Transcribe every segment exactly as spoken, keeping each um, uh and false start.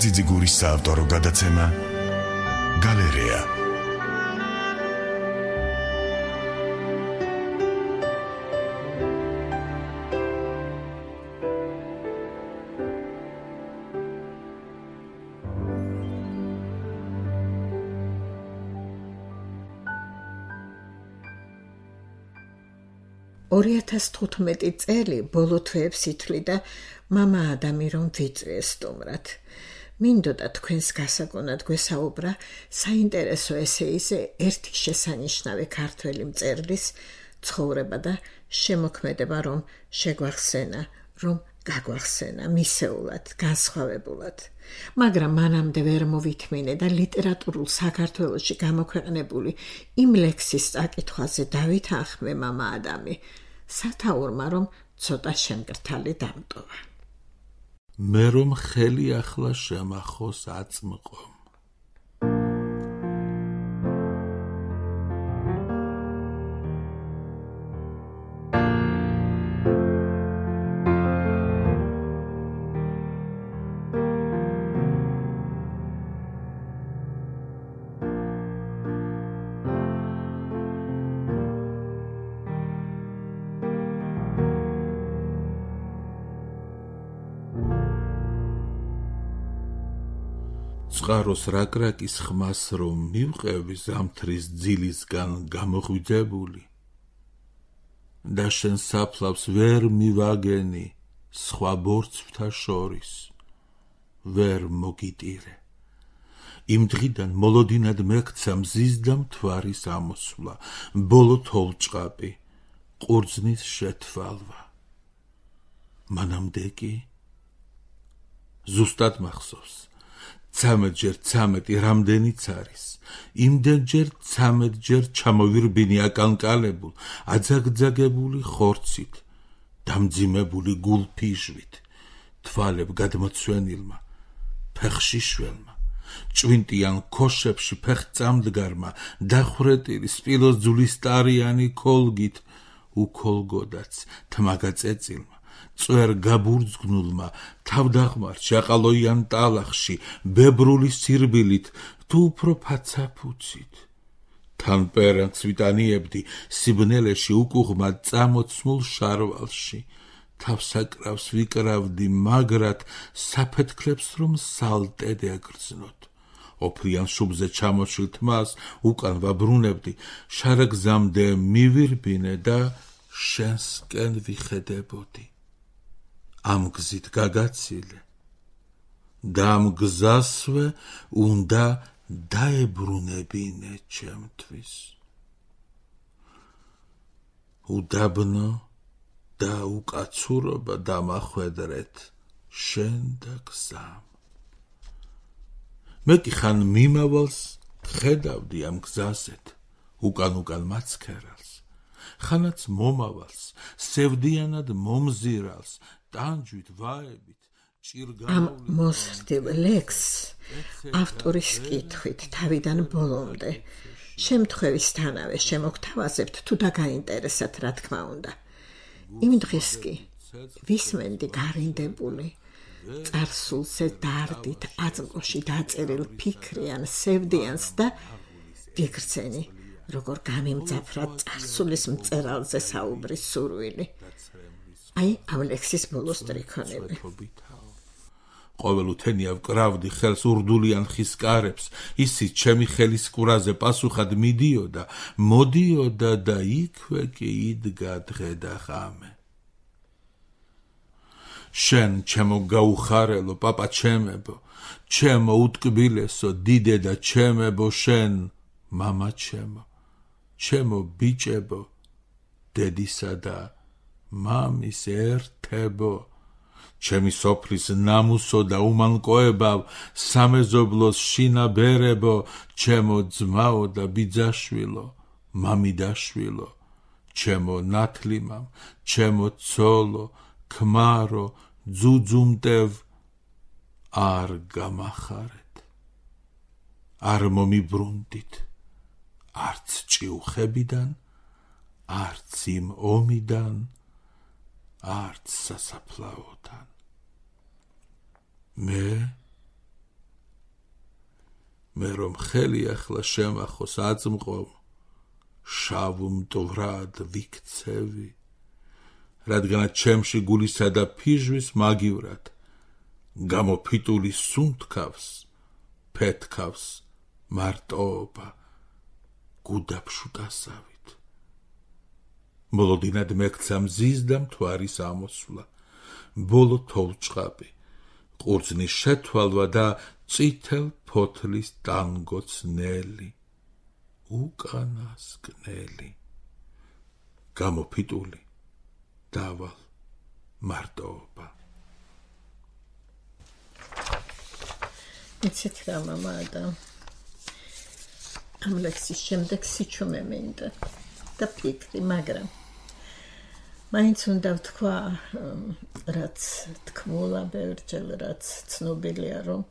ძიძიგურის საავტორო გადაცემა გალერეა. ორი ათას თხუთმეტი წელი ბოლო თვეებს ითვლიდა მამა ადამი რომ ვიწვიეს სტუმრად. მინდოდა თქვენს გასაგონად გვესაუბრა საინტერესო ესეიზე ერთი შესანიშნავი ქართველი მწერლის ცხოვრება და შემოქმედება, რომ შეგვახსენა, რომ გაგვახსენა მისეულად, განსხვავებულად. მაგრამ მანამდე ვერ მოვითმინე და ლიტერატურულ საქართველოში გამოქვეყნებული იმ ლექსის წაკითხვაზე დავითანხმე მამა ადამი, სათაურმა რომ ცოტა შემკრთალი დამტოვა. მე რომ ხელი ახლა შემახოს აწმყო. წყაროს რაკრაკის ხმას რომ მივყევი ზამთრის ძილისგან გამოღვიძებული და შენ საფლავს ვერ მივაგენი სხვა ბორცვთა შორის ვერ მოგიტირე. იმ დღიდან მოლოდინად მეკცა მზის და მთვარის ამოსვლა, ბოლო თოვლჭყაპი, ყურძნის შეთვალვა. მანამდე კი ზუსტად მახსოვს, ცამეტჯერ ცამეტი რამდენიც არის, იმდენჯერ ცამეტჯერ ჩამოვირბინი აკანკალებულ, აძაგძაგებული ხორცით, დამძიმებული გულფიჟვით, თვალებ გადმოცვენილმა, ფეხში შველმა, ჭვინტიან ქოშებში ფეხწამდგარმა, დახვრეტილი სპილოსძვლისტარიანი ქოლგით, უქოლგოდაც თმაგაწეწილმა, წვერ გაბურძგნულმა, თავდაღმარ ჭაყალოიან ტალახში, ბებრული სირბილით, თუ უფრო ფაცაფუცით. თან პერანც ვიტანიებდი სიბნელეში უკუღმა წამოცმულ შარვალში, თავსაკრავს ვიკრავდი მაგრად, საფეთქლებს რომ სალტედ ეგრძნოთ. ოფლიან შუბზე ჩამოშილ თმას უკან ვაბრუნებდი, შარაგზამდე მივირბინე და შენსკენ ვიხედებოდი. ამ გზით გაგაცილე და ამ გზასვე უნდა დაებრუნებინე ჩემთვის. უდაბნო და უკაცურობა დამახვედრეთ შენ და გზამ. მე კი ხან მიმავალს ხედავდი ამ გზაზეთ, უკან უკან მაცქერალს, ხანაც მომავალს, სევდიანად მომზირალს, ტანჯვით ვაებით, ამ მოსრდილ ლექსს ავტორის კითხვით თავიდან ბოლომდე შემთხვევისთანავე შემოგთავაზებთ თუ დაგაინტერესათ, რა თქმა უნდა. იმ დღეს კი ვისმენდი გარინდებული, წარსულზე დარდით აწმყოში დაწერილ ფიქრიან სევდიანს და ვიგრძენი, როგორ გამიმძაფრა წარსულის მწერალზე საუბრის სურვილი. აი ამ ლექსის ბოლოს ტრიქონები. ყოველუთენია ვკრავდი ხელს ურდულიან ხის კარებს, ისიც ჩემი ხელის ყურაზე პასუხად მიდიოდა, მოდიოდა და იქვე კი იდგა დღე და ღამე. შენ ჩემო გაუხარელო პაპა ჩემებო, ჩემო უტკბილესო დიდედა ჩემებო, შენ მამა ჩემო, ჩემო ბიჭებო, დედისა და მამის ერთებო, ჩემი სოფლის ნამუსო და უმანკოებავ, სამეზობლოს შინაბერებო, ჩემო ძმაო და ბიძაშვილო, მამიდაშვილო, ჩემო ნათლიმამ, ჩემო ცოლო, ქმარო, ძუძუმტევ, არ გამახარეთ, არ მომიბრუნდით, არც ჭიუხებიდან, არც იმ ომიდან, არც სასაფლაოდან. მე მე რომ ხელი ახლა შემახოს აწმყო შავ მტვრად ვიქცევი რადგანაც ჩემში გულისა და ფიჟვის მაგივრად გამოფიტული სუნთქავს ფეთქავს მარტოობა გუდაფშუტასავით მოლოდინად მეკცა მზის და მთვარის ამოსვლა ბოლო თოვლჭყაპი ყურძნის შეთვალვა და წითელ ფოთლის ტანგოცნელი უკანასკნელი გამოფიტული დავალ მარტოობა იცით რა მამა და ამ ლექსის შემდეგ სიჩუმე მინდა და ფიქრი მაგრამ მაინც უნდა ვთქვა რაც თქმულა ბევრჯერ რაც ცნობილია რომ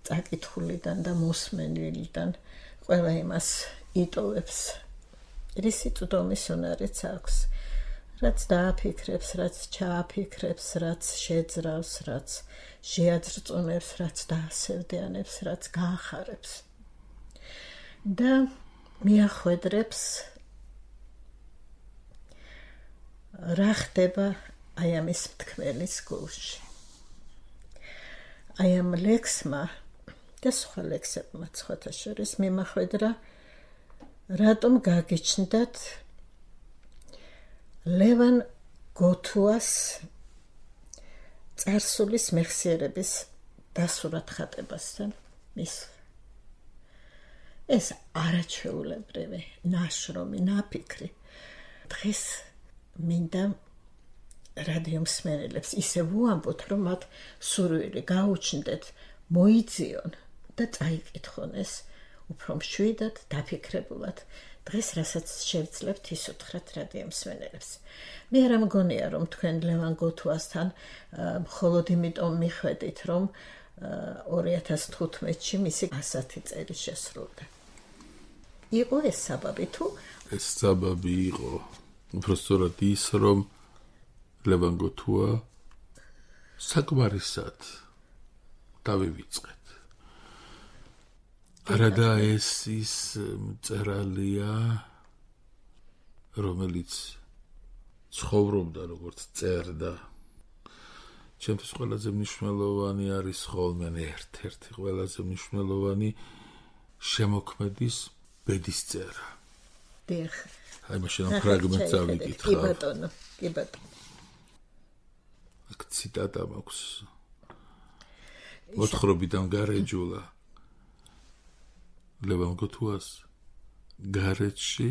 წაკითხულიდან და მოსმენილიდან ყველა იმას იტოვებს რისი წვდომის უნარიც აქვს რაც დააფიქრებს რაც ჩააფიქრებს რაც შეძრავს რაც შეაძრწუნებს რაც დაასევდიანებს რაც გაახარებს და მიახვედრებს რა ხდება აი ამის მთქმელის გულში აი ამ ლექსმა და სხვა ლექსებმა სხვათა შორის მიმახვედრა რატომ გაგიჩნდათ ლევან გოთუას წარსულის მეხსიერების დასურათ ხატებასთან მის ეს არაჩვეულებრივი ნაშრომი ნაფიქრი დღეს მინდა რადიო მსმენელებს ისე ვუამბოთ რომ მათ სურვილი გაუჩნდეთ მოიძიონ და წაიკითხონ ეს უფრო მშვიდად დაფიქრებულად დღეს რასაც შევძლებთ ის უთხრათ რადიო მსმენელებს მე არ მგონია რომ თქვენ ლევან გოთუასთან მხოლოდ იმიტომ მიხვედით რომ ორი ათას თხუთმეტში მისი ასეთი წელი შესრულდა იყო ეს საბაბი თუ ეს საბაბი იყო უბრალოდ ის რომ ლევან გოთუა საკმარისად დავივიწყეთ არადა ეს ის მწერალია რომელიც ცხოვრობდა როგორც წერდა ჩემთვის ყველაზე მნიშვნელოვანი არის ხოლმე ერთ-ერთი ყველაზე მნიშვნელოვანი შემოქმედის ბედისწერა დიახ აი მაშინ ფრაგმენტს ავიკითხავ კი ბატონო კი ბატონო აქ ციტატა მაქვს მოთხრობიდან გარეჯულა ლევან გოთუას გარეთში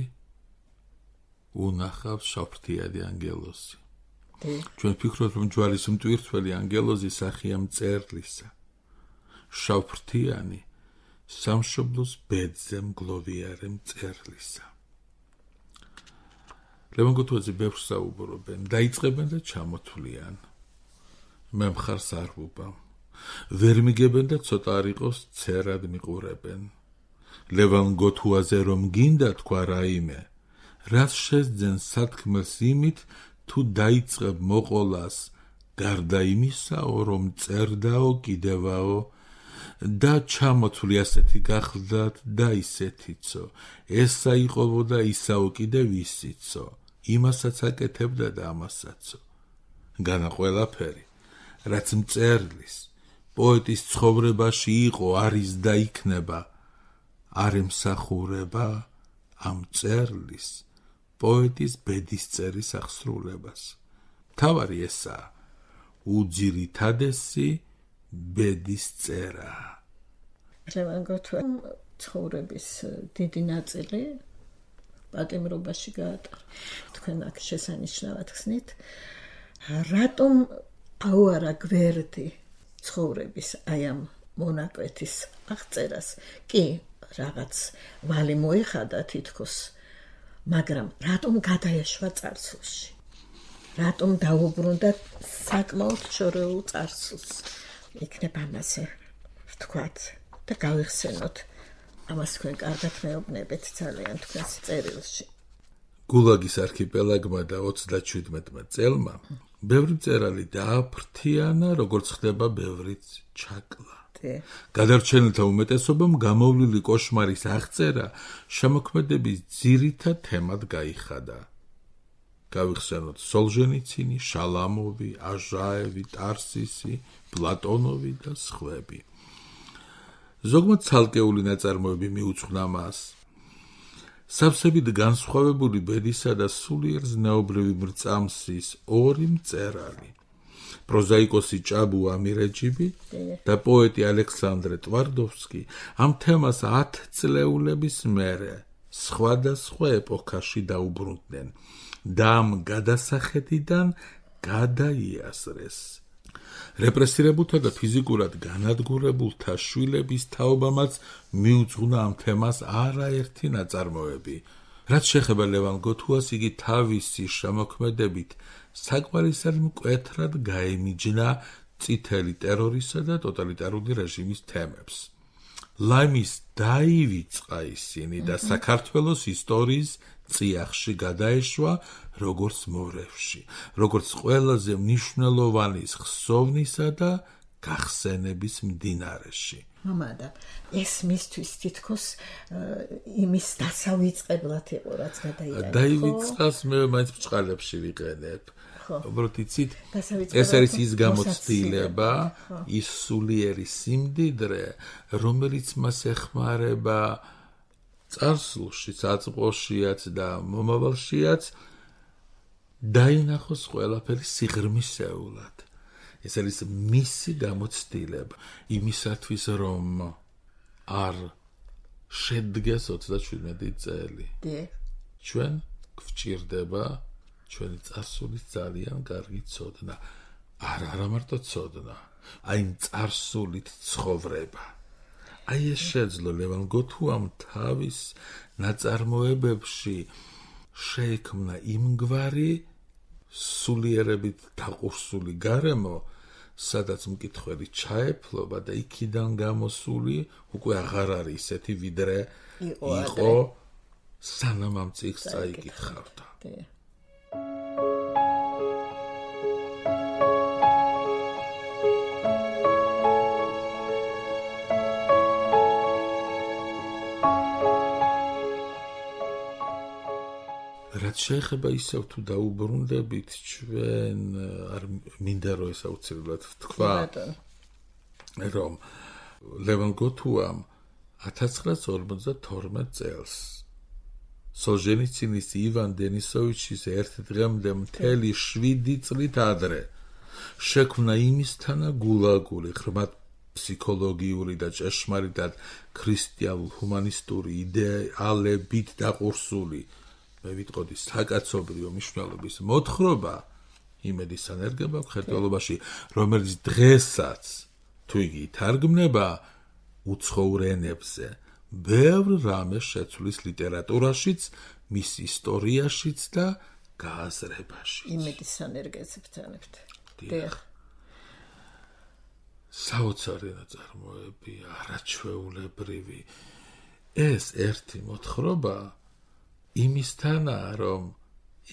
უნახავს შავფრთიანი ანგელოზი ჩვენ ფიქრობთ რომ ჯვარის მტვირთველი ანგელოზი სახეა მწერლისა შავფრთიანი სამშობლოს ბედზე მგლოვიარე მწერლისა ლევან გოთუაძე ბევრს საუბრობენ დაიწყებენ და ჩამოთვლიან მე მხარს არ ვუბავ ვერ მიგებენ და ცოტა არ იყოს ცერად მიყურებენ ლევან გოთუაზე რომ გინდა თქვა რაიმე რაც შეძენ სათქმელს იმით თუ დაიწყებ მოყოლას გარდა იმისაო რომ წერდაო კიდევაო და ჩამოთვლი ასეთი გახლდათ და ისეთიცო ესა იყოვო და ისაო კიდევ ისიცო იმასაც აკეთებდა და ამასაცო განა ყველაფერი რაც მწერლის პოეტის ცხოვრებაში იყო არის და იქნება არ ემსახურება ამ წერლის პოეტის ბედისწერის აღსრულებას თავარი ესაა უძირითადესი ბედისწერა ლევან გოთუა ცხოვრების დიდი ნაწილი პატიმრობაში გაატარა თქვენ აქ შესანიშნავად ხსნით რატომ აუარა გვერდი ცხოვრების აი ამ მონაკვეთის აღწერას კი რაღაც ვალი მოეხადა თითქოს მაგრამ რატომ გადაეშვა წარსულში რატომ დაუბრუნდა საკმაოდ შორეულ წარსულს იქნება ამაზე ვთქვათ და გავიხსენოთ ამას თქვენ კარგად მეუბნებით ძალიან თქვენს წერილში გულაგის არქიპელაგმა და ოცდაჩვიდმეტმა წელმა ბევრი მწერალი დააფრთიანა როგორც ხდება ბევრიც ჩაკლა გადარჩენილთა უმეტესობამ გამოვლილი კოშმარის აღწერა შემოქმედების ძირითად თემად გაიხადა. გავიხსენოთ სოლჟენიცინი, შალამოვი, აჟაევი, ტარსისი, პლატონოვი და სხვები. ზოგმა ცალკეული ნაწარმოები მიუძღვნა მას. სავსებით განსხვავებული ბედისა და სულიერ ზნეობრივი მრწამსის ორი მწერალი. პროზაიკოსი ჭაბუ ამირეჯიბი და პოეტი ალექსანდრე ტვარდოვსკი ამ თემას ათწლეულების მერე სხვადასხვა ეპოქაში დაუბრუნდნენ და ამ გადასახედიდან გადაიასრეს. რეპრესირებულთა და ფიზიკურად განადგურებულთა შვილების თაობამაც მიუძღვნა ამ თემას არაერთი ნაწარმოები. რაც შეეხება ლევან გოთუას, იგი თავისი შემოქმედებით საკმარისად მკვეთრად გაემიჯნა წითელი ტერორისა და ტოტალიტარული რეჟიმის თემებს. ლაიმის დაივიწყა ისინი და საქართველოს ისტორიის წიაღში გადაეშვა როგორც მორევში, როგორც ყველაზე მნიშვნელოვანი ხსოვნისა და გახსენების მდინარეში. მამადა, ეს მისთვის თითქოს იმის დასავიწყებლად იყო, რაც გადაიტანა. დაივიწყას მე მაინც ბჭყალებში ვიყენებ. უბრალოდ იცით, ეს არის ის გამოცდილება, ის სულიერი სიმდიდრე, რომელიც მას ეხმარება წარსულში, საწყოშიაც და მომავალშიაც დაინახოს ყველაფერი სიღრმისეულად. ეს არის მისი გამოცდილება იმისათვის, რომ არ შედგეს ოცდაშვიდმეტი წელი. ჩვენ გვჭირდება ჩვენი წარსულის ძალიან კარგი ცოდნა. არ არა მარტო ცოდნა, აი წარსულით ცხოვრება. აი ეს შეძლო ლევან გოთუამ თავის ნაწარმოებებში შეიქმნა იმგვარი სულიერებით დაყურსული გარემო, სადაც მკითხველი ჩაეფლობა და იქიდან გამოსული უკვე აღარ არის ისეთი, ვიდრე იყო სანამ ამ წიგნს წაიკითხავდა. რაც შეეხება ისევ თუ დაუბრუნდებით, ჩვენ არ მინდა რომ ეს აუცილებლად ვთქვა, რომ ლევან გოთუამ ათას ცხრაასი ორმოცდათორმეტ წელს სოლჟენიცინის ივან დენისოვიჩის ერთ დღემდე მთელი შვიდი წლით ადრე შექმნა იმისთანა გულაგული, ღრმად ფსიქოლოგიური და ჭეშმარიტად ქრისტიანულ ჰუმანისტური იდეალებით დაყურსული, მე ვიტყოდი, საკაცობრიო მნიშვნელობის მოთხრობა იმედის ანერგება მხედველობაში, რომელიც დღესაც თუ იგი ითარგმნება უცხოურ ენებზე, ბევრ რამეს შეცვლის ლიტერატურაშიც, მის ისტორიაშიც და გააზრებაშიც. იმედის ანერგებს ვთანებთ. საოცარი ნაწარმოები, არაჩვეულებრივი. ეს ერთი მოთხრობა იმისთანაა, რომ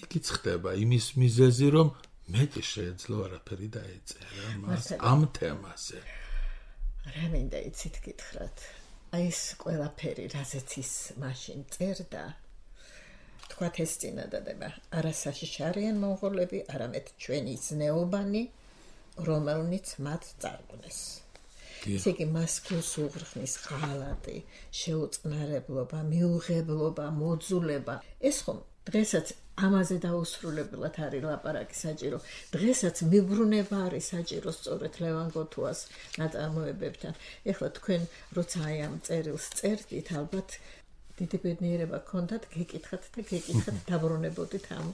იქიც ხდება იმის მიზეზი, რომ მეტი შეეძლო არაფერი დაეწერა მას ამ თემაზე. რა მინდა იცით გითხრათ, აი ეს ყველაფერი, რაზეც ის მაშინ წერდა, თქვათ ეს წინადადება, არასაშიში არიან მონღოლები, არამედ ჩვენი ზნეობანი, რომელნიც მათ წარგვნეს. ესე იგი, მას გულს უღრხნის ღალატი, შეუწყნარებლობა, მიუღებლობა, მოძულება. ეს ხომ დღესაც ამაზე დაუსრულებლად არის ლაპარაკი საჭირო. დღესაც მიბრუნება არის საჭირო სწორედ ლევან გოთუას ნაწარმოებებთან. ეხლა თქვენ როცა აი ამ წერილს წერდით, ალბათ დიდი ბედნიერება გქონდათ, გეკითხათ და გეკითხათ, დაბრუნებოდით ამ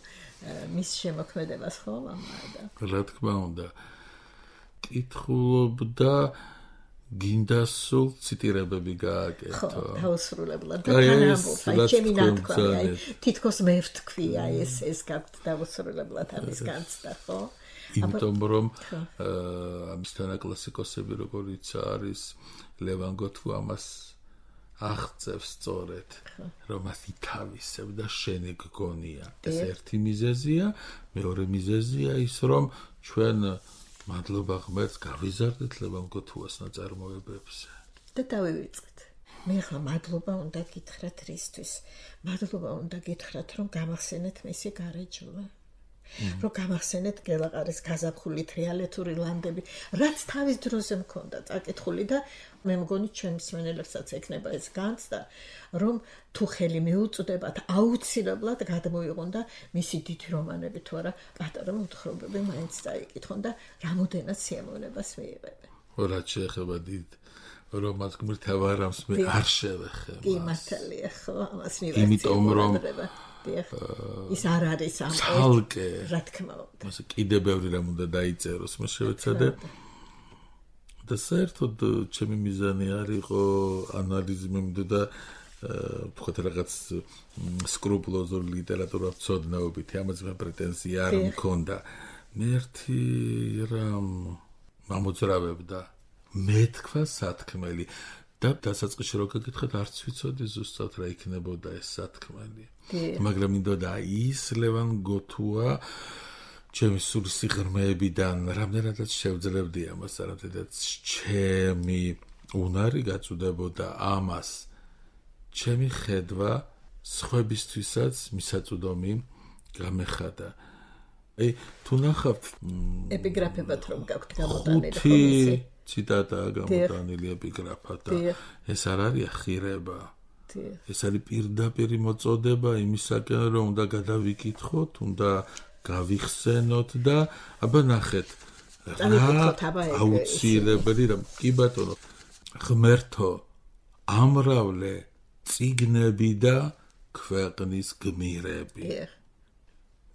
მის შემოქმედებას, ხო, მამადა? რა თქმა უნდა. კითხულობდა გინდა სულ ციტირებები გააკეთო. ხო, დაუსრულებლად და თანამბობს, აი ჩემი ნათქვამი, აი თითქოს მე ვთქვი, აი ეს ეს გაქვთ დაუსრულებლად ამის განცდა, ხო? იმიტომ რომ ამისთანა კლასიკოსები, როგორიც არის ლევან გოთუ, ამას აღწევს სწორედ, რომ მას ითავისებ და შენი გგონია. ეს ერთი მიზეზია, მეორე მიზეზია ის, რომ ჩვენ მადლობა ღმერთს, გავიზარდეთ ლევან გოთუას ნაწარმოებებზე. და დავივიწყეთ. მე ახლა მადლობა უნდა გითხრათ რისთვის? მადლობა უნდა გითხრათ, რომ გამახსენეთ მისი გარეჯოვა. რომ გამახსენეთ გელაყარის გაზაფხული თრიალეთური ლანდები, რაც თავის დროზე მქონდა წაკითხული და მე მგონი ჩემ მსმენელებსაც ექნება ეს განცდა, რომ თუ ხელი მიუწვდებათ, აუცილებლად გადმოიღონ და მისი დიდი რომანები თუ არა პატარა მოთხრობები მაინც წაიკითხონ და რამოდენად სიამოვნებას მიიღებენ. რაც შეეხება დიდ რომანს გმირთა ვარამს მე არ შევეხე. კი მართალია ხო, ამას მივახცე. იმიტომ რომ ის არ არის ამ ცალკე რა თქმა უნდა. მასე კიდე ბევრი რამ უნდა დაიწეროს, მე შევეცადე და საერთოდ ჩემი მიზანი არ იყო ანალიზი მინდოდა ვთქვათ რაღაც სკრუპულოზური ლიტერატურა ვცოდნაობითი, ამაზე მე პრეტენზია არ მქონდა. მე ერთი რამ მომძრავებდა მე თქვა სათქმელი და დასაწყისში რო გეკითხეთ არც ვიცოდი ზუსტად რა იქნებოდა ეს სათქმელი. მაგრამ მინდოდა ის ლევან გოთუა ჩემი სული სიღრმეებიდან რამდენადაც შევძლებდი ამას, რამდენადაც ჩემი უნარი გაწუდებოდა ამას, ჩემი ხედვა სხვებისთვისაც მისაწვდომი გამეხადა. აი თუ ნახავთ ეპიგრაფებად რომ გაქვთ გამოტანილი ხოლმე ციტატაა გამოტანილი ეპიგრაფად და ეს არ არის ხირება. ეს არის პირდაპირი მოწოდება იმისაკენ, რომ უნდა გადავიკითხოთ, უნდა გავიხსენოთ და აბა ნახეთ რა აუცილებელი რა კი ბატონო ღმერთო ამრავლე წიგნები და ქვეყნის გმირები.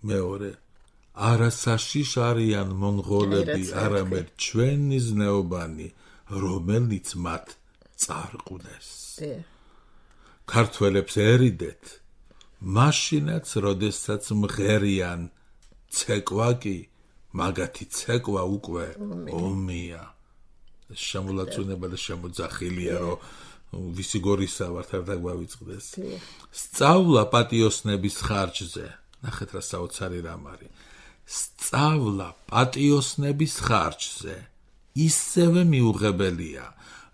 მეორე არასაშიშ არიან მონღოლები, არამედ ჩვენი ზნეობანი, რომელიც მათ წარყვნეს. ქართველებს ერიდეთ, მაშინაც, როდესაც მღერიან, ცეკვა კი, მაგათი ცეკვა უკვე ომია. შემოლაწუნება და შემოძახილია, რომ ვისი გორისა ვართ არ დაგვავიწყდეს. სწავლა პატიოსნების ხარჯზე. ნახეთ რა საოცარი რამ არის. სწავლა პატიოსნების ხარჯზე ისევე მიუღებელია,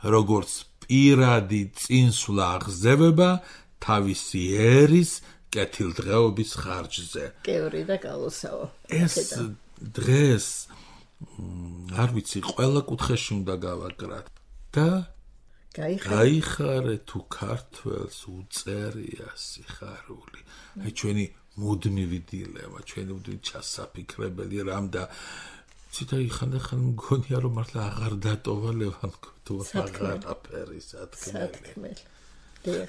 როგორც პირადი წინსვლა აღზევება თავისი ერის კეთილდღეობის ხარჯზე. კევრი და გალოსაო. ეს დღეს არ ვიცი, ყველა კუთხეში უნდა გავაკრათ და გაიხარე თუ ქართველს უწერია სიხარული. აი ჩვენი მუდმივი დილემა, ჩვენი მუდმივი ჩასაფიქრებელი რამ და ციტა ხანდახან მგონია რომ მართლა აღარ დატოვა ლევან გოთუა აღარაფერი სათქმელი.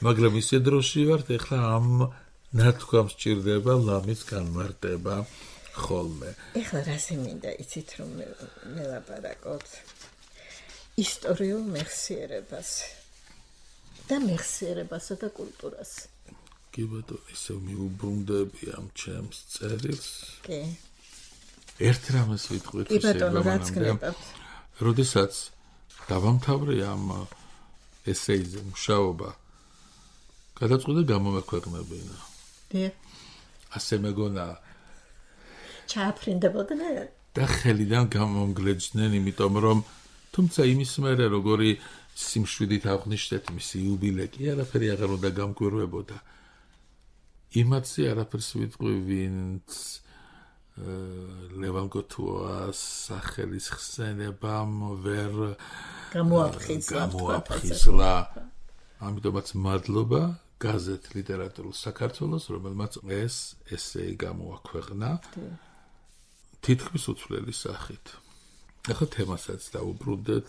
მაგრამ ისე დროში ვართ, ეხლა ამ ნათქვამს ჭირდება ლამის განმარტება ხოლმე. ეხლა რასე მინდა იცით რომ მე ლაპარაკობ ისტორიულ მეხსიერებას და მეხსიერებასა და კულტურას. კი ბატონო, ისე მიუბრუნდები ამ ჩემს წერილს. კი. ერთ რამას ვიტყვით კი ბატონო, რაც გნებავთ. როდესაც დავამთავრე ამ ესეიზე მუშაობა, გადაწყვიტე გამომექვეყნებინა. დიახ. ასე მეგონა ჩააფრინდებოდნენ და ხელიდან გამომგლეჯდნენ, იმიტომ რომ თუმცა იმის მერე როგორი სიმშვიდით აღნიშნეთ მისი იუბილე კი არაფერი აღარ უნდა გამკვირვებოდა. იმათზე არაფერს ვიტყვი, ვინც ლევან გოთუას სახელის ხსენებამ ვერ გამოაფხიზლა. ამიტომაც მადლობა გაზეთ ლიტერატურულ საქართველოს, რომელმაც ეს ესეი გამოაქვეყნა თითქმის უცვლელი სახით. ახლა თემასაც დაუბრუნდეთ.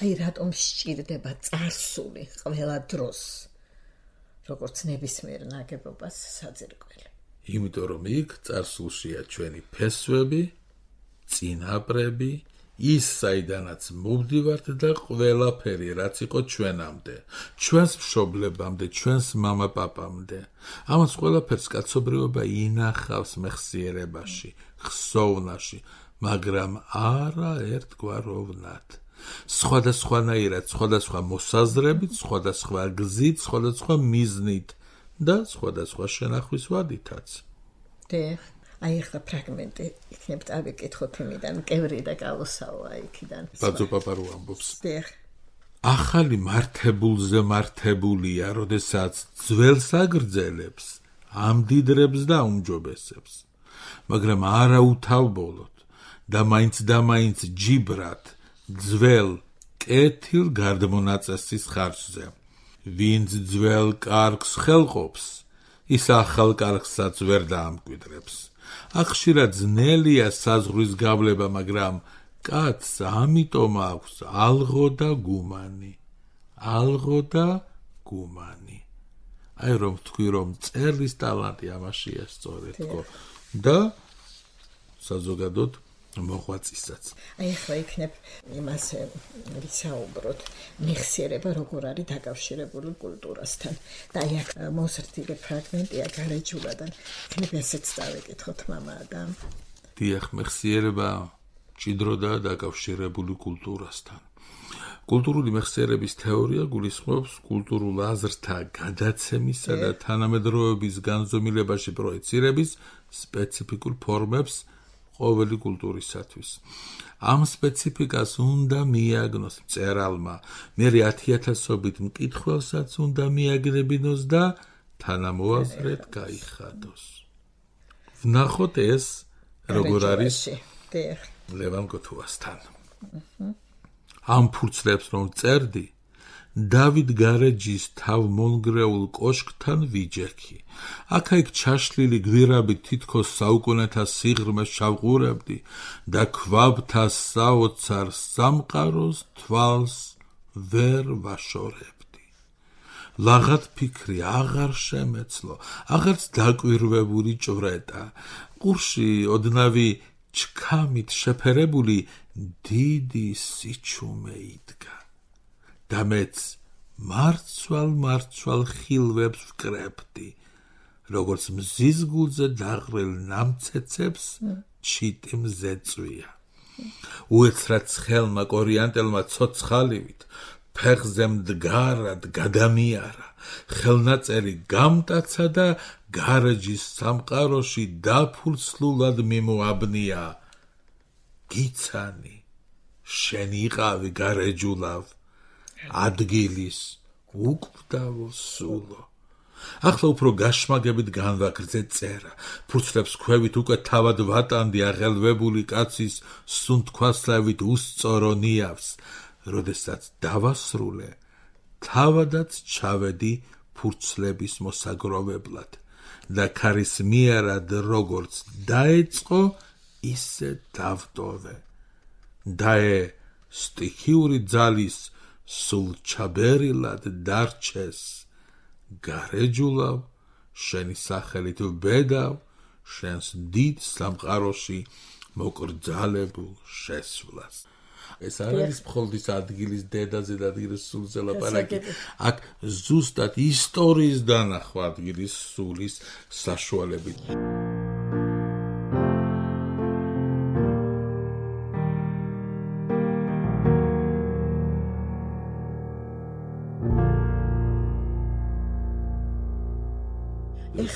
აი რატომ სჭირდება წარსული ყველა დროს, როგორც ნებისმიერ ნაგებობას საძირკველი. იმიტომ რომ იქ წარსულშია ჩვენი ფესვები, წინაპრები, ის საიდანაც მოვდივართ და ყველაფერი რაც იყო ჩვენამდე, ჩვენს მშობლებამდე, ჩვენს მამა-პაპამდე. ამას ყველაფერს კაცობრიობა ინახავს მეხსიერებაში, ხსოვნაში, მაგრამ არა ერთგვაროვნად. სხვადასხვანაირად, სხვადასხვა მოსაზრებით, სხვადასხვა გზით, სხვადასხვა მიზნით და სხვადასხვა შენახვის ვადითაც. დიახ. აი ახლა ფრაგმენტი იქნებ წავიკითხოთ იმიდან კევრი და კალოსაოა იქიდან ბაძო პაპარო ამბობს დიახ ახალი მართებულზე მართებულია როდესაც ძველს აგრძელებს ამდიდრებს და უმჯობესებს მაგრამ არა უთავბოლოდ და მაინც და მაინც ჯიბრად ძველ კეთილ გარდმონაწესის ხარჯზე ვინც ძველ კარგს ხელყოფს ის ახალ კარგსაც ვერ დაამკვიდრებს ახშირად ძნელია საზღვრის გავლება მაგრამ კაცს ამიტომ აქვს ალღო და გუმანი ალღო და გუმანი აი რომ თქვი რომ წერლის ტალანტი ამაშია სწორედ თქო და საზოგადოდ მოღვაწისაც აი ახლა იქნებ იმაზე ვისაუბროთ მეხსიერება როგორ არის დაკავშირებული კულტურასთან და აი აქ მოსრთილი ფრაგმენტია გარეჯულადან იქნებ ესეც დავეკითხოთ მამა და დიახ მეხსიერება ჭიდროდაა დაკავშირებული კულტურასთან კულტურული მეხსიერების თეორია გულისხმობს კულტურულ აზრთა გადაცემისა და თანამედროვეობის განზომილებაში პროექცირების სპეციფიკურ ფორმებს ყოველი კულტურისათვის. ამ სპეციფიკას უნდა მიაგნოს მწერალმა, მერე ათიათასობით მკითხველსაც უნდა მიაგნებინოს და თანამოაზრედ გაიხადოს. ვნახოთ ეს როგორ არის ლევან გოთუასთან. ამ ფურცლებს რომ წერდი, დავით გარეჯის თავმონგრეულ კოშკთან ვიჯექი. აქა-იქ ჩაშლილი გვირაბით თითქოს საუკუნეთა სიღრმეს ჩავყურებდი და ქვაბთა საოცარ სამყაროს თვალს ვერ ვაშორებდი. ლაღად ფიქრი აღარ შემეცლო, აღარც დაკვირვებული ჭვრეტა. ყურში ოდნავი ჩქამით შეფერებული დიდი სიჩუმე იდგა. და მეც მარცვალ-მარცვალ ხილვებს ვკრებდი, როგორც მზის გულზე დაღრილ ნამცეცებს ჩიტი მზეწვია. უეცრად ცხელმა კორიანტელმა ცოცხალივით ფეხზე მდგარად გადამიარა, ხელნაწერი გამტაცა და გარეჯის სამყაროში დაფულცლულად მიმოაბნია. გიცანი, შენ იყავი გარეჯულავ, ადგილის უკვდავო სულო. ახლა უფრო გაშმაგებით განვაგრძე წერა, ფურცლებს ქვევით უკვე თავად ვატანდი აღელვებული კაცის სუნთქვასლავით უსწორო ნიავს, როდესაც დავასრულე, თავადაც ჩავედი ფურცლების მოსაგროვებლად და ქარისმიერად როგორც დაეწყო, ისე დავტოვე. დაე სტიქიური ძალის სულ ჩაბერილად დარჩეს. გარეჯულავ, შენი სახელით ვბედავ, შენს დიდ სამყაროში მოკრძალებულ შესვლას. ეს არ არის მხოლოდ ადგილის დედაზე და ადგილის სულზე ლაპარაკი. აქ ზუსტად ისტორიის დანახვა ადგილის სულის საშუალებით.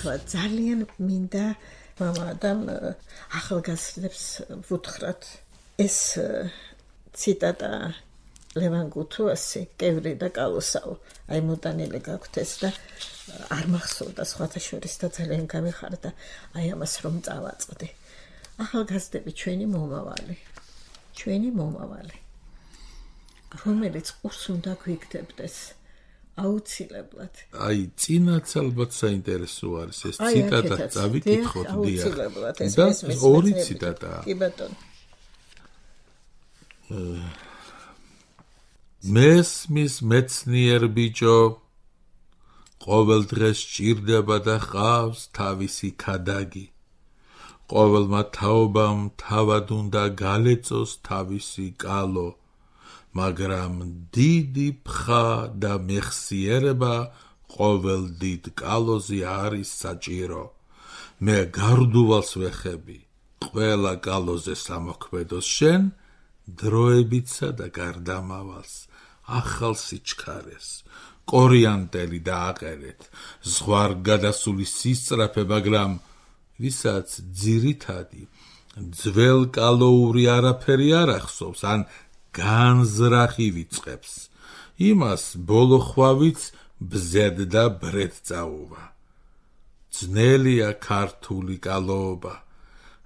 ეხლა ძალიან მინდა მამა და ახალგაზრდებს ვუთხრათ ეს ციტატა ლევან გოთუასი კევრი და კალოსაო აი მოტანილი გაქვთ ეს და არ მახსოვდა სხვათა შორის და ძალიან გამიხარდა აი ამას რომ წავაწყდი ახალგაზრდები ჩვენი მომავალი ჩვენი მომავალი რომელიც ყურს უნდა გვიგდებდეს აუცილებლად. აი, წინაც ალბათ საინტერესო არის ეს ციტატა, წავიკითხოთ დიახ. და ორი ციტატაა. კი ბატონო. მესმის მეცნიერ ბიჭო, ყოველ დღეს ჭირდება და ყავს თავისი ქადაგი. ყოველმა თაობამ თავად უნდა გალეწოს თავისი კალო. მაგრამ დიდი ფხა და მეხსიერება ყოველ დიდ კალოზე არის საჭირო. მე გარდუვალს ვეხები, ყველა კალოზე სამოქმედოს შენ, დროებიცა და გარდამავალს, ახალ სიჩქარეს, კორიანტელი დააყერეთ, ზღვარ გადასული სისწრაფე, მაგრამ ვისაც ძირითადი ძველ კალოური არაფერი არ ახსოვს, ან განზრახი ვიწყებს. იმას ბოლო ხვავიც ბზედ და ბრედ წაუვა. ძნელია ქართული კალოობა,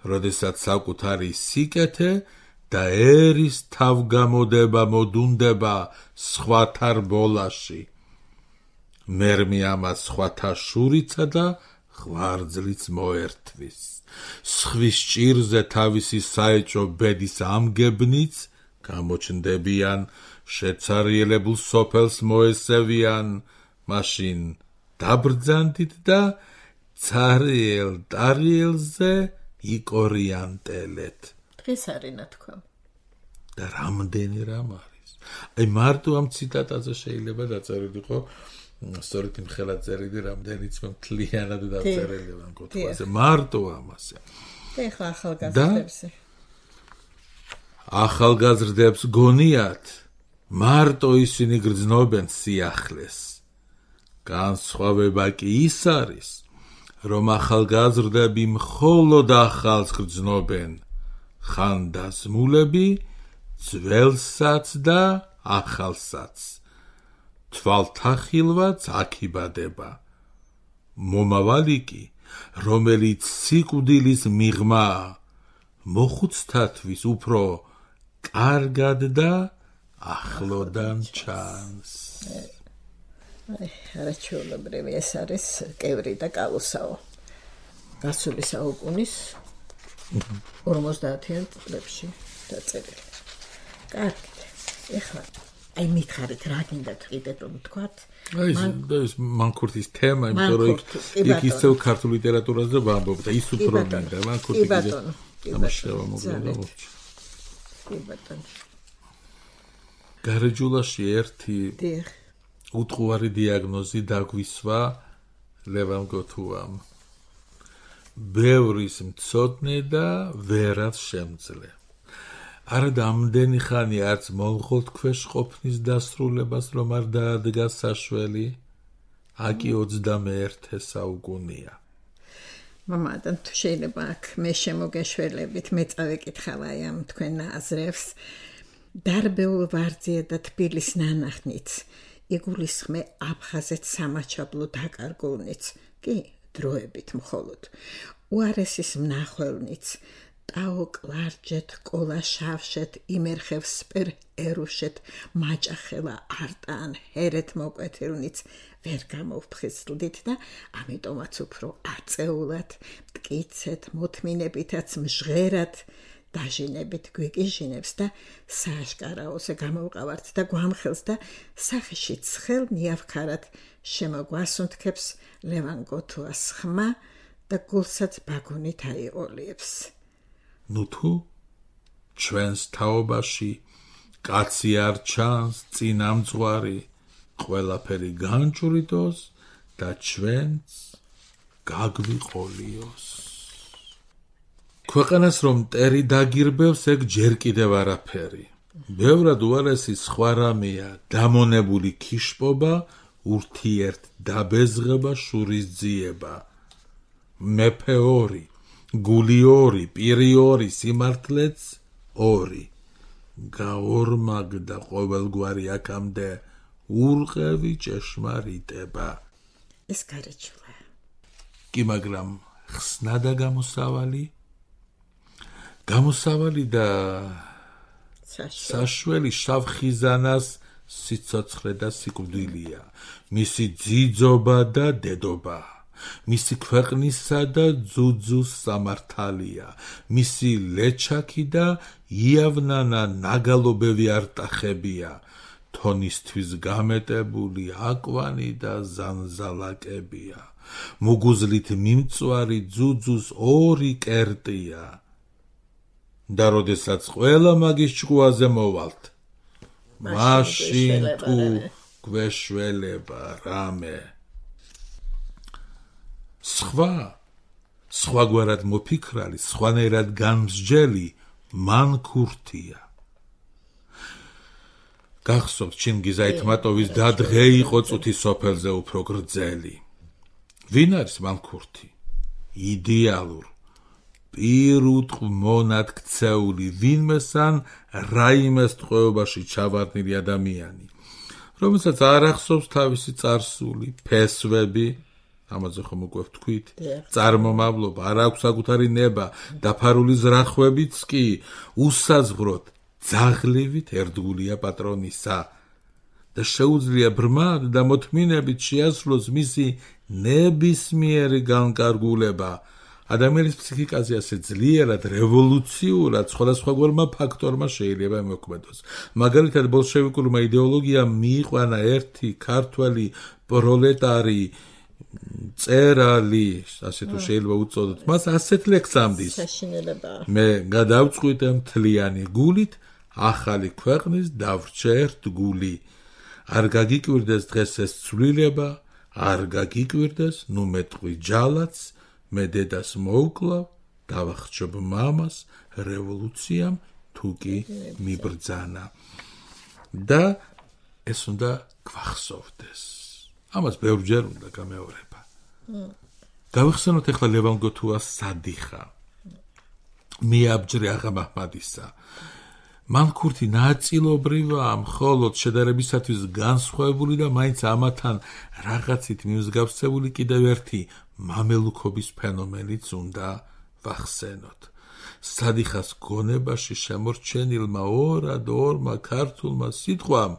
როდესაც საკუთარი სიკეთე და ერის თავგამოდება მოდუნდება სხვათა რბოლაში. მერმე ამას სხვათა შურიცა და ღვარძლიც მოერთვის. სხვის ჭირზე თავისი საეჭო ბედის ამგებნიც გამოჩნდებიან, შეცარიელებულ სოფელს მოესევიან, მაშინ დაბრძანდით და ცარიელ ტარიელზე იკორიანტელეთ. დღეს არის ნათქვამ. და რამდენი რამ არის. აი მარტო ამ ციტატაზე შეიძლება დაწერილიყო სწორედ იმ ხელად წერილი, რამდენიც მე მთლიანად დაწერილი ვარ კუთვაზე. მარტო ამაზე. ეხლა ახალგაზრდებზე. ახალგაზრდებს გონიათ, მარტო ისინი გრძნობენ სიახლეს. განსხვავება კი ის არის, რომ ახალგაზრდები მხოლოდ ახალს გრძნობენ, ხანდაზმულები ძველსაც და ახალსაც. თვალთახილვაც აქიბადება. მომავალი კი, რომელიც სიკვდილის მიღმაა, მოხუცთათვის უფრო კარგად და ახლოდან ჩანს. არაჩვეულებრივი ეს არის კევრი და კალუსაო. გასული საუკუნის ორმოცდაათიან წლებში დაწერილი. კარგი. ეხლა აი მითხარით რა გინდათ კიდე რომ თქვათ? აი ეს მანქურთის თემა, იმიტომ რომ იქ ისევ ქართულ ლიტერატურაზე ვამბობ და ის უფრო მინდა მანქურთი. კი ბატონო. ამაშევა მოგდა. კი ბატონო. გარეჯულაში ერთი დიახ. უტყუარი დიაგნოზი დაგვისვა ლევან გოთუამ. ბევრის მცოდნე და ვერაც შემძლე. არა დამდენი ხანი არც მონღოლთქვეშ ყოფნის დასრულებას რომ არ დაადგა საშველი, აკი ოცდამეერთე საუკუნია. მამადან თუ შეიძლება აქ მე შემოგეშველებით მე წავეკითხავ აი ამ თქვენ აზრებს. დარბეულ ვარძია და თბილის ნანახნიც, იგულისხმე აფხაზეთ სამაჩაბლო დაკარგულნიც, კი დროებით მხოლოდ, უარესის მნახველნიც, ტაო კლარჯეთ, კოლა შავშეთ, იმერხევ სპერ ერუშეთ, მაჭახელა არტან, ჰერეთ მოკვეთილნიც, ვერ გამოვფხიზლდით და ამიტომაც უფრო აწეულად, მტკიცეთ, მოთმინებითაც მჟღერად, დაჟინებით გვიკიჟინებს და სააშკარაოზე გამოვყავართ და გვამხელს და სახეში ცხელ ნიავქარად შემოგვასუნთქებს ლევან გოთუას ხმა და გულსაც ბაგუნით აიყოლიებს. ნუ თუ ჩვენს თაობაში კაცი არ ჩანს წინამძღვარი, ყველაფერი განჭვრიტოს და ჩვენც გაგვიყოლიოს. ქვეყანას რომ მტერი დაგირბევს, ეგ ჯერ კიდევ არაფერი. ბევრად უარესი სხვა რამეა დამონებული ქიშპობა, ურთიერთ დაბეზღება, შურის ძიება. მეფე ორი, გული ორი, პირი ორი, სიმართლეც ორი. გაორმაგდა ყოველგვარი აქამდე ურყევი ჭეშმარიტება. ეს გარეჯულა. კი მაგრამ ხსნადა გამოსავალი? გამოსავალი და საშველი შავ ხიზანას სიცოცხლე და სიკვდილია, მისი ძიძობა და დედობა, მისი ქვეყნისა და ძუძუს სამართალია, მისი ლეჩაკი და იავნანა ნაგალობევი არტახებია, თონისთვის გამეტებული აკვანი და ზანზალაკებია, მუგუზლით მიმწვარი ძუძუს ორი კერტია. და როდესაც ყველა მაგის ჭკუაზე მოვალთ, მაშინ თუ გვეშველება რამე. სხვა, სხვაგვარად მოფიქრალი, სხვანაირად განმსჯელი მანქურთია. გახსოვთ ჩინგიზ აითმატოვის დადღე იყო წუთი სოფელზე უფრო გრძელი. ვინ არის მანქურთი? იდეალურ პირუტყ მონად ქცეული ვინმესან რაიმეს ტყვეობაში ჩავარდნილი ადამიანი, რომელსაც არ ახსოვს თავისი წარსული, ფესვები, ამაზე ხომ უკვე ვთქვით, წარმომავლობა, არ აქვს საკუთარი ნება, დაფარული ზრახვებიც კი უსაზღვროდ ძაღლივით ერთგულია პატრონისა და შეუძლია ბრმად და მოთმინებით შეასრულოს მისი ნებისმიერი განკარგულება. ადამიანის ფსიქიკაზე ასე ძლიერად, რევოლუციურად სხვადასხვაგვარმა ფაქტორმა შეიძლება მოქმედოს. მაგალითად, ბოლშევიკურმა იდეოლოგიამ მიიყვანა ერთი ქართველი პროლეტარი წერალი, ასე თუ შეიძლება უწოდოთ, მას ასეთ ლექსს ამდის. მე გადავწყვიტე მთლიანი გულით ახალი ქვეყნის დავრჩა ერთ გული. არ გაგიკვირდეს დღეს ეს ცვლილება, არ გაგიკვირდეს, ნუ მეტყვი ჯალაც, მე დედას მოუკლავ, დავახჩობ მამას, რევოლუციამ თუ კი მიბრძანა. და ეს უნდა გვახსოვდეს. ამას ბევრჯერ უნდა გამეორება. გავიხსენოთ ახლა ლევან გოთუას სადიხა. მიაბჯრე აღა მაჰმადისა. მან ქურთი ნაწილობრივაა, მხოლოდ შედარებისათვის განსხვავებული და მაინც ამათან რაღაცით მიმსგავსებული კიდევ ერთი მამელუქობის ფენომენიც უნდა ვახსენოთ. სადიხას გონებაში შემორჩენილმა ორად ორმა ქართულმა სიტყვამ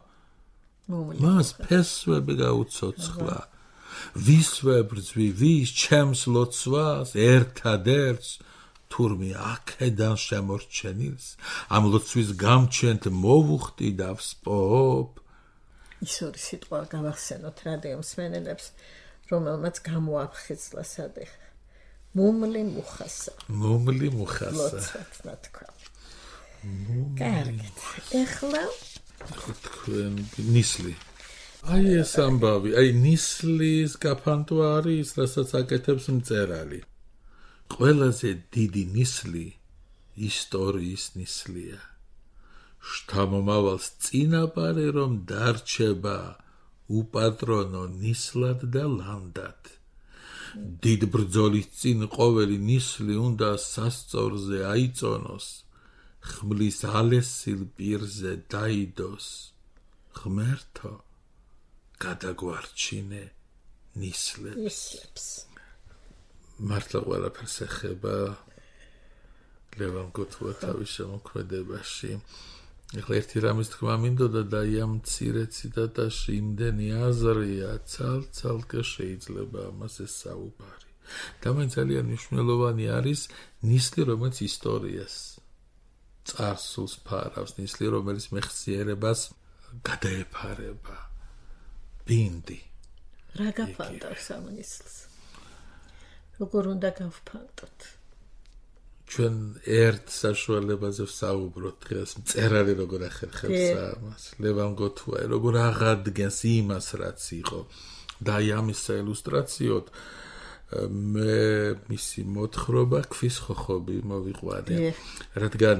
მას ფესვები გაუცოცხლა. ვის ვებრძვი, ვის ჩემს ლოცვას, ერთადერთს, თურმე აქედან შემორჩენილს, ამ ლოცვის გამჩენთ მოვუხტი და ვსპობ. ის ორი სიტყვა გავახსენოთ რადიო მსმენელებს, რომელმაც გამოაფხიზლა სადიხა. მუმლი მუხასა. მუმლი მუხასა. ლოცვაც ნათქვა. კარგით. ეხლა თქვენ ნისლი. აი ეს ამბავი, აი ნისლის გაფანტო არის, რასაც აკეთებს მწერალი. ყველაზე დიდი ნისლი ისტორიის ნისლია. შთამომავალს წინაპარი რომ დარჩება უპატრონო ნისლად და ლანდად. დიდ ბრძოლის წინ ყოველი ნისლი უნდა სასწორზე აიწონოს, ხმლის ალესილ პირზე დაიდოს. ღმერთო, გადაგვარჩინე ნისლებს. მართლა ყველაფერს ეხება ლევან გოთუა თავის შემოქმედებაში. ეხლა ერთი რამის თქმა მინდოდა და ამ მცირე ციტატაში იმდენი აზრია, ცალ-ცალკე შეიძლება ამაზე საუბარი. და მაინც ძალიან მნიშვნელოვანი არის ნისლი, რომელიც ისტორიას წარსულს ფარავს, ნისლი, რომელიც მეხსიერებას გადაეფარება. ბინდი. რა გაფანტავს ამ ნისლს? როგორ უნდა გავფანტოთ? ჩვენ ერთ საშუალებაზე ვსაუბროთ დღეს, მწერალი როგორ ახერხებს ამას, ლევან გოთუა როგორ აღადგენს იმას, რაც იყო. და აი ამის საილუსტრაციოდ მე მისი მოთხრობა ქვის ხოხობი მოვიყვანე. რადგან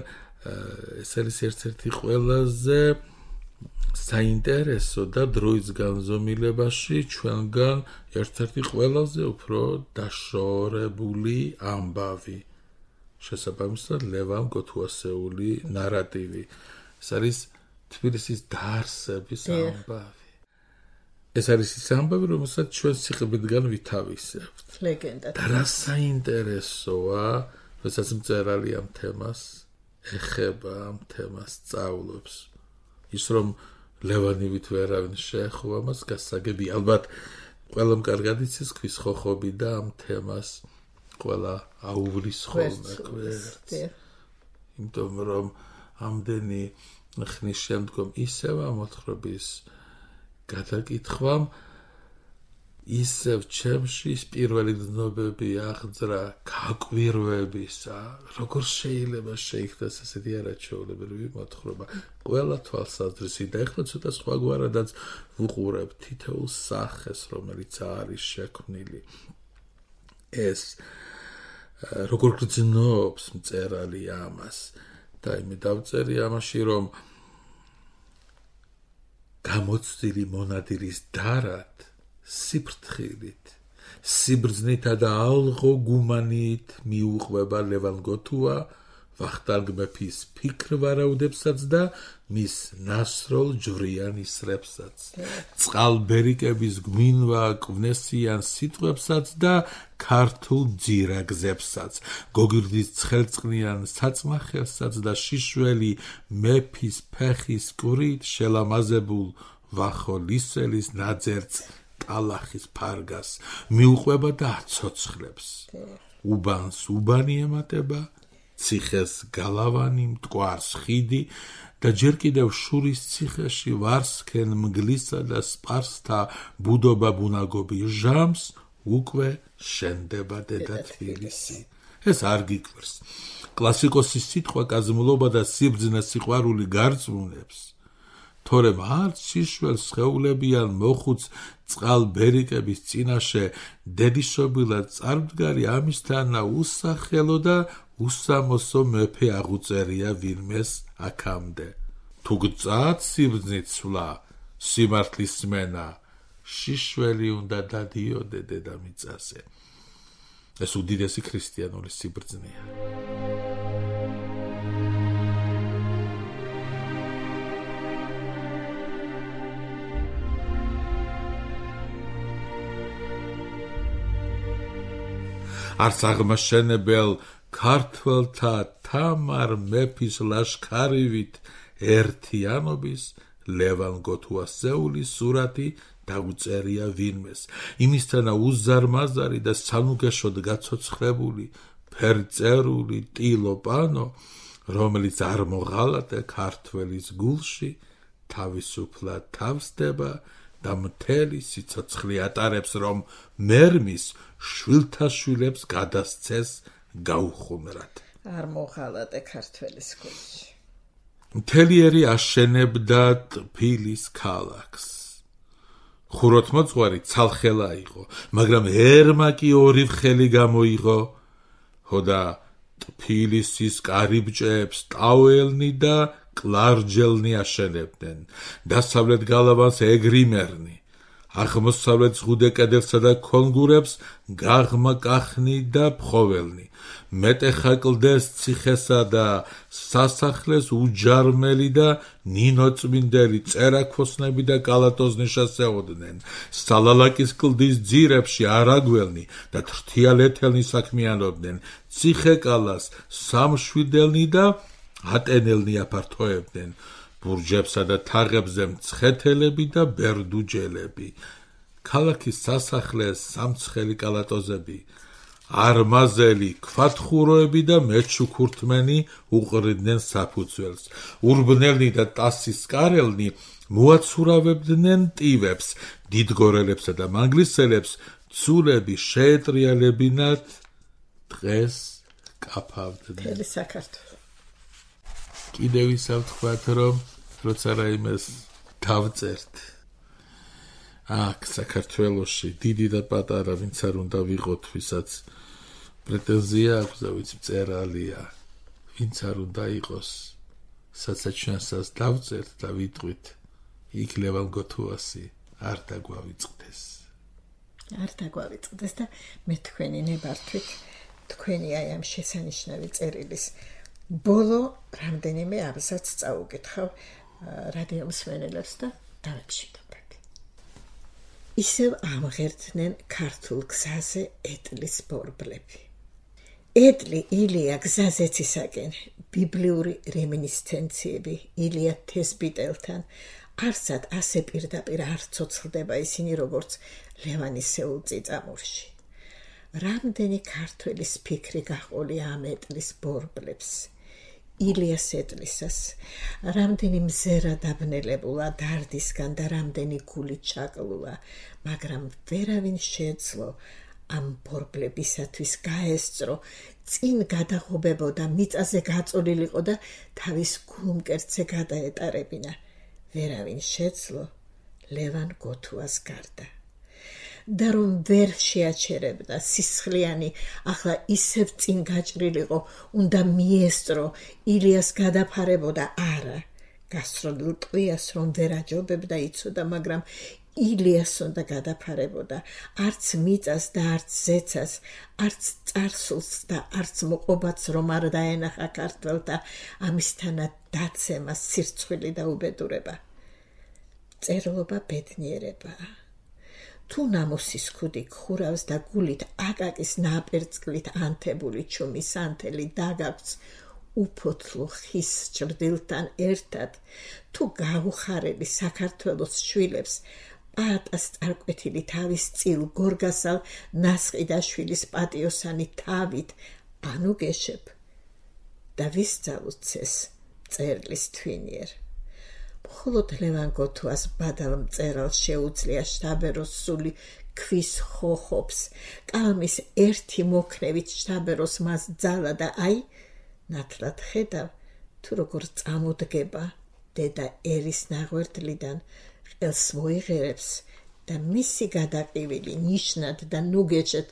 ეს არის ერთ-ერთი ყველაზე საინტერესო და დროის განზომილებაში ჩვენგან ერთ-ერთი ყველაზე უფრო დაშორებული ამბავი. შესაბამისად ლევან გოთუასეული ნარატივი. ეს არის თბილისის დაარსების ამბავი. ეს არის ის ამბავი, რომელსაც ჩვენ სიყრმიდან ვითავისებთ. ლეგენდა. და რა საინტერესოა, როდესაც მწერალი ამ თემას ეხება, ამ თემას სწავლობს. ის რომ ლევანივით ვერავინ შეეხო ამას გასაგები, ალბათ ყველამ კარგად იცის ქვის ხოხობი და ამ თემას ყველა აუვლის ხოლმე გვერდს. იმიტომ რომ ამდენი ხნის შემდგომ ისევ ამ მოთხრობის გადაკითხვამ ისევ ჩემში პირველი დნობები აღძრა გაკვირვებისა, როგორ შეიძლება შეიქცეს ესეთი არაჩვეულებრივი მოთხრობა. ყველა თვალსაზრისით და ეხლა ცოტა სხვაგვარადაც ვუყურებ თითოეულ სახეს, რომელიც არის შექმნილი. ეს როგორ გრძნობს მწერალი ამას და იმე დავწერე ამაში, რომ გამოცდილი მონადირის დარად სიფრთხილით სიბრძნითა და ალღო გუმანით მიუყვება ლევან გოთუა ვახტანგ მეფის ფიქრ-ვარაუდებსაც და მის ნასროლ ჯვრიან ისრებსაც, წყალბერიკების გვინვა კვნესიან სიტყვებსაც და ქართულ ძირაგზებსაც, გოგირდის ცხელწყნიან საწმახელსაც და შიშველი მეფის ფეხის კვრით შელამაზებულ ვახოლისელის ნაძერწ ტალახის ფარგას მიუყვება და აცოცხლებს. უბანს უბანი ემატება, ციხეს გალავანი, მტკვარს ხიდი და ჯერ კიდევ შურის ციხეში ვარსქენ მგლისა და სპარსთა ბუდობა ბუნაგობი ჟამს უკვე შენდება დედა თბილისი. ეს არ გიკვირს. კლასიკოსის სიტყვა კაზმულობა და სიბრძნე სიყვარული გარწმუნებს. თორემ არც შიშველს ხეულებიან მოხუც წყალბერიკების წინაშე დედიშობილად წარმდგარი ამისთანა უსახელო და უსამოსო მეფე აღუწერია ვინმეს აქამდე. თუ გწად სიბრძნით სვლა, სიმართლის სმენა, შიშველი უნდა დადიოდე დედამიწაზე. ეს უდიდესი ქრისტიანული სიბრძნეა. არც აღმაშენებელ ქართველთა თამარ მეფის ლაშქარივით ერთიანობის ლევან გოთუასეულის სურათი დაუწერია ვინმეს. იმისთანა უზარმაზარი და სანუგეშოდ გაცოცხლებული ფერწერული ტილო პანო, რომელიც არ მოღალატე ქართველის გულში თავისუფლად თავსდება და მთელი სიცოცხლე ატარებს, რომ მერმის შვილთა შვილებს გადასცეს გაუხუმრად. არ მოღალატე ქართველის გულში. მთლიერი აშენებდა ტფილის ქალაქს. ხუროთმოძღვარი ცალხელა იყო, მაგრამ ერმაკი ორი ხელი გამოიღო. ხოდა ტფილისის კარიბჭეებს ტაოელნი და კლარჯელნი აშენებდნენ. დასავლეთ გალავანს ეგრიმერნი, აღმოსავლეთ ზღუდე კედელსა და კონგურებს გაღმა კახნი და ფხოველნი. მეტეხა კლდეს ციხესა და სასახლეს უჯარმელი და ნინოწმინდელი წერაქოსნები და კალატოზნი შესეოდნენ. სალალაკის კლდის ძირებში არაგველნი და თრთიალეთელნი საქმიანობდნენ. ციხეკალას სამშვიდელნი და ატენელნი აფართოებდნენ. ბურჯებსა და თაღებზე მცხეთელები და ბერდუჯელები. ქალაქის სასახლეს სამცხელი კალატოზები, არმაზელი ქვათხუროები და მეჩუქურთმენი უყრიდნენ საფუძველს. ურბნელნი და ტასისკარელნი მოაცურავებდნენ ტივებს, დიდგორელებსა და მანგლისელებს ცულები შეეტრიალებინათ, დღეს კაფავდნენ. მთელი საქართველო. კიდევ ისა ვთქვათ, რომ როცა რაიმეს დავწერთ აქ საქართველოში დიდი და პატარა ვინც არ უნდა ვიყოთ, ვისაც პრეტენზია აქვს და ვინც მწერალია, ვინც არ უნდა იყოს, სადაც ჩვენსაც დავწერთ და ვიტყვით, იქ ლევან გოთუასი არ დაგვავიწყდეს. არ დაგვავიწყდეს და მე თქვენი ნებართვით, თქვენი აი ამ შესანიშნავი წერილის ბოლო რამდენიმე აბზაცს წაუკითხავ რადიო მსმენელებს და დავეშინდობთ. ისევ ამღერდნენ ქართულ გზაზე ეტლის ბორბლები. ეტლი ილია გზაზეცისაკენ, ბიბლიური რემინისცენციები ილია თესბიტელთან, არსად ასე პირდაპირ არ ცოცხლდება ისინი, როგორც ლევანისეულ წიწამურში. რამდენი ქართველის ფიქრი გაყოლია ამ ეტლის ბორბლებს, ილიას ეტლისას, რამდენი მზერა დაბნელებულა დარდისგან და რამდენი გული ჩაკლულა, მაგრამ ვერავინ შეეძლო ამ ბორბლებისათვის გაესწრო, წინ გადაღობებოდა, მიწაზე გაწოლილიყო და თავის გულმკერდზე გადაეტარებინა. ვერავინ შეეძლო ლევან გოთუას გარდა. და რომ ვერ შეაჩერებდა სისხლიანი, ახლა ისევ წინ გაჭრილიყო, უნდა მიესწრო, ილიას გადაფარებოდა არა. გასროლილ ტყვიას რომ ვერ აჯობებდა იცოდა, მაგრამ ილიას უნდა გადაფარებოდა, არც მიწას და არც ზეცას, არც წარსულს და არც მოყობაც რომ არ დაენახა ქართველთა ამისთანად დაცემა, სირცხვილი და უბედურება. წერლობა ბედნიერებაა. თუ ნამოსის ქუდი ხურავს და გულით აკაკის ნაპერწკლით ანთებული ჩუმის ანთელი დაგაქვს უფოთლო ხის ჭრდილთან ერთად, თუ გაუხარელი საქართველოს შვილებს პატას წარკვეთილი თავის წილ გორგასალ ნასყიდაშვილის პატიოსანი თავით ანუ გეშებ და ვისწავლუცეს წერლის თვინიერ. მხოლოდ ლევან გოთუას ბადალ მწერალს შეუძლია შთაბეროს სული ქვის ხოხობს, კალმის ერთი მოქნევით შთაბეროს მას ძალა და აი, ნათლად ხედავ, თუ როგორ წამოდგება დედა ერის ნაღვერდლიდან ყელს მოიღერებს და მისი გადაყივილი ნიშნად და ნუგეჭად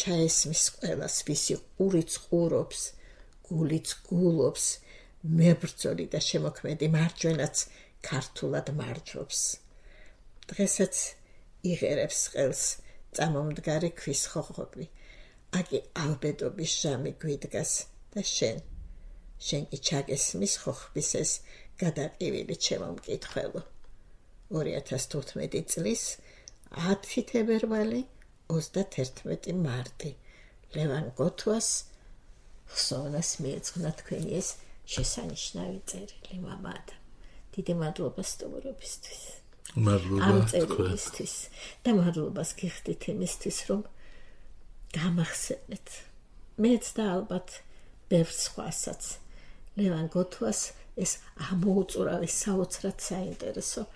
ჩაესმის ყველას, ვისი ყურიც ყურობს, გულიც გულობს, მებრძოლი და შემოქმედი მარჯვენაც ქართულად მარჯობს. დღესაც იღერებს ყელს წამომდგარი ქვის ხოხობი, აკი ალბედობის ჟამი გვიდგას და შენ, შენ კი ჩაგესმის ხოხბის ეს გადაყივილი ჩემო მკითხველო. ორი ათას თოთხმეტი წლის ათი თებერვალი ოცდათერთმეტი მარტი ლევან გოთუას ხსოვნას მიეძღვნა თქვენი ეს შესანიშნავი წერილი. მამადა, დიდი მადლობა სტუმრობისთვის, მადლობა ამ წერილისთვის და მადლობას გიხდით იმისთვის, რომ გამახსენეთ მეც და ალბათ ბევრ სხვასაც ლევან გოთუას ეს ამოუწურავი საოცრად საინტერესო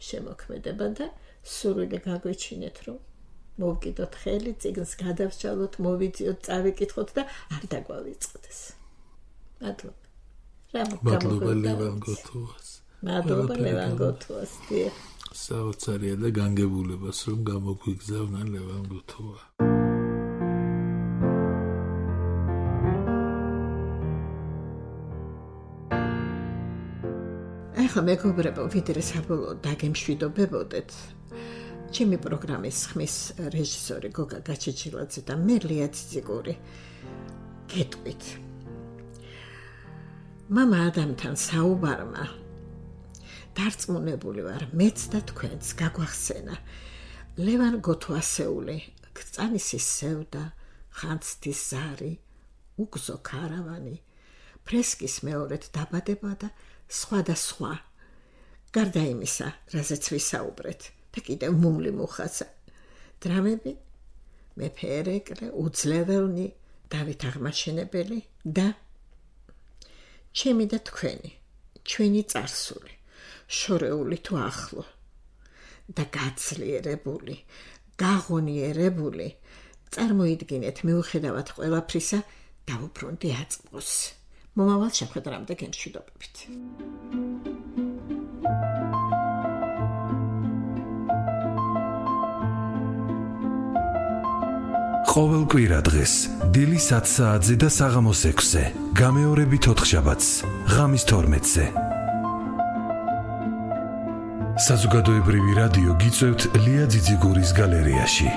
შემოქმედება და სურვილი გაგვეჩინეთ, რომ მოვკიდოთ ხელი, წიგნს გადავსჯალოთ, მოვიძიოთ, წავიკითხოთ და არ დაგვავიწყდეს. მადლობა. მადლობა ლევან გოთუას. მადლობა ლევან გოთუას. საოცარია და განგებულებას რომ გამოგვიგზავნა ლევან გოთუა. ახლა მეგობრებო, ვიდრე საბოლოოდ დაგემშვიდობებოდეთ, ჩემი პროგრამის ხმის რეჟისორი გოგა გაჩეჩილაძე და მე ლია ციციკური გეტყვით. მამა ადამთან საუბარმა დარწმუნებული ვარ, მეც და თქვენც გაგვახსენა ლევან გოთუასეული, ქრწანისის სევდა, ხანძთის ზარი, უგზო ქარავანი, ფრესკის მეორედ დაბადება და სხვა და სხვა. გარდა იმისა, რაზეც ვისაუბრეთ და კიდევ მუმლი მუხაცა. დრამები, მეფე ერეკლე, უძლეველნი, დავით აღმაშენებელი და ჩემი და თქვენი, ჩვენი წარსული, შორეული თუ ახლო და გაძლიერებული, გაღონიერებული, წარმოიდგინეთ მიუხედავად ყველაფრისა დაუბრუნდი აწმყოს. მომავალ შეხვედრამდე გემშვიდობებით. ყოველ კვირა დღეს დილის ათ საათზე და საღამოს ექვსზე, გამეორებით ოთხშაბათს, ღამის თორმეტზე. საზოგადოებრივი რადიო გიწევთ ლია ძიძიგურის გალერეაში.